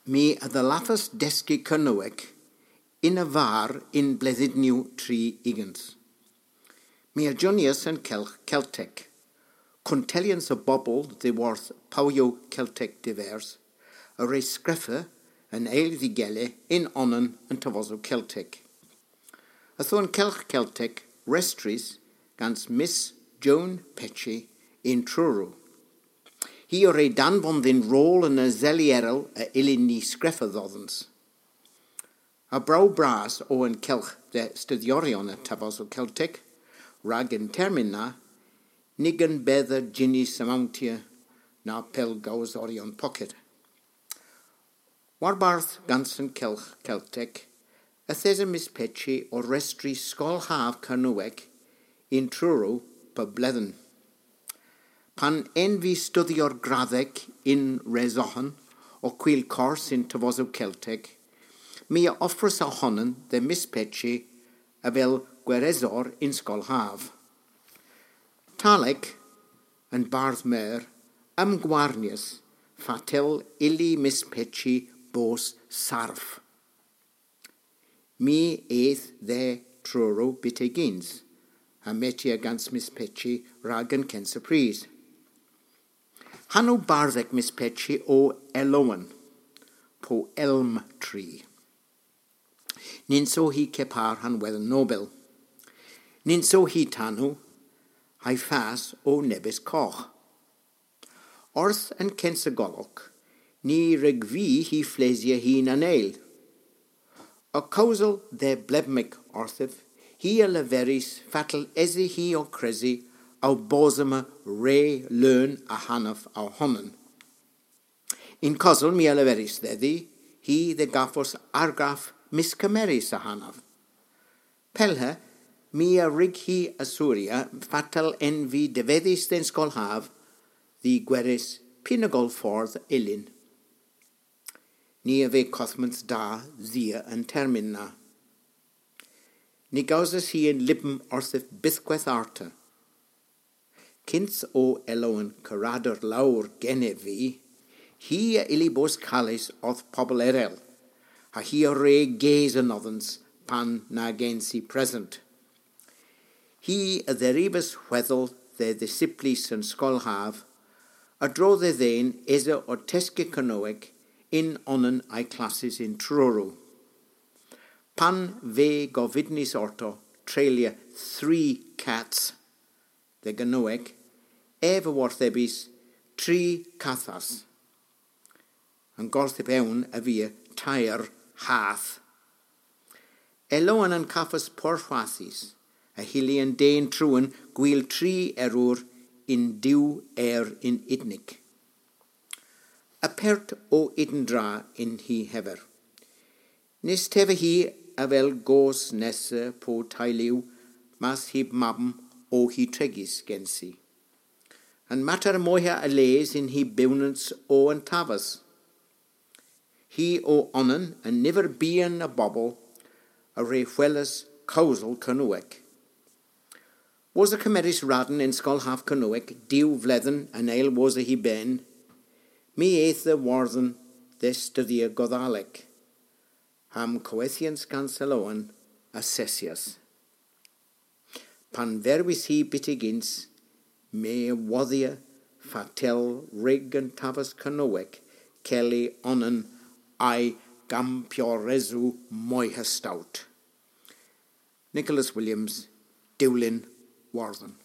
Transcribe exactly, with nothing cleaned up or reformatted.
My a dhallathas dyski Kernewek yn a var yn bledhynnyow tri ugens. My a jonyas an kylgh Keltek. Kuntellyans a bobel dhiworth powyow Keltek divers a wre skrifa an eyl dh'y gila yn onan an tavosow Keltek. Yth o an kylgh Keltek restrys gans Miss Joan Petchey yn Truru. Hi a wre danvon dhyn rol an eseli erel a yllyn ni skrifa dhodhans. A bro bras o an kylgh dhe studhyoryon an tavosow Keltek, rag y'n termyn na, ny gunbedha jynnys amontya na pellgowsoryon pocket. Warbarth gans an kylgh Keltek, yth esa Miss Petchey ow restri skol hav Kernewek yn Truru pub bledhen. Pan en vy studhyer gradhek yn Roscommon ow hwil kors yn tavosow Keltek, my a offras ow honan dhe Miss Petchey avel gweresor yn skol hav. Tallek, an Bardh Meur, omgwarnyas fatel ylli Miss Petchey bos sarf. My eth dhe Truru byttegyns, ha metya gans Miss Petchey rag an kynsa prys. Hanow bardhek Miss Petchey o Elowen, po Elm Tree. Nyns o hi kepar ha'n Wedhen Nobel. Nyns o hi tanow, ha'y fas o nebes kogh. Orth an kynsa golok, ny wrug vy hy flesya hi na'n eyl. Ow kewsel dhe bledhmik orthiv, hi a leveris fatel esa hi ow kresi ow bos omma re leun ahanav ow honan. Yn kosel my a leveris dhedhi hi dhe gavos argraff myskemmerys ahanav. Pellhe, my a wrug hi assurya fatel en vy devedhys dhe'n skol hav dh'y gweres py na goll fordh yllyn. Ni a veu kodhmans da dhia an termyn na. Ny gowsas hi an lybm orthiv bythkweth arta. Kyns o Elowen karader lowr genev vy, hi a ylli bos kales orth pobel erel, ha hi a wre ges anodhans pan na gens i present. Hi a dherivas hwedhel dhe dhisiplys an skol hav, a-dro dhe dhen esa ow tyski Kernewek yn onan a'y klasses yn Truru. Pan veu govydnys orto treylya three cats dhe Gernewek, ev a worthebis tri kathas. An gorthyp ewn a via teyr hath. Elowen a'n kavas porhwathys, a hylli an den truan gwil tri error yn diw er yn ydnik. Apert o ydn dra yn hy hever. Ny's teva hi avel goos nessa po teylu, mas heb mabm o hy tregys gensi. An mater moyha a les yn hy bewnans o an taves. Hi o onan a niver byghan a bobel a wre hweles kewsel Kernewek. Wosa kemeres radn yn skol hav Kernewek diw vledhen an eyl wosa hy ben, my eth dhe Wordhen dhe studhya Godhalek, ha'm kowethyans gans Elowen assesyas. Pan verwis hi byttegyns, my a wodhya fatel wrug an taves Kernewek kelli onan a'y gampyoresow moyha stout. Nicholas Williams, Dulyn, Wordhen.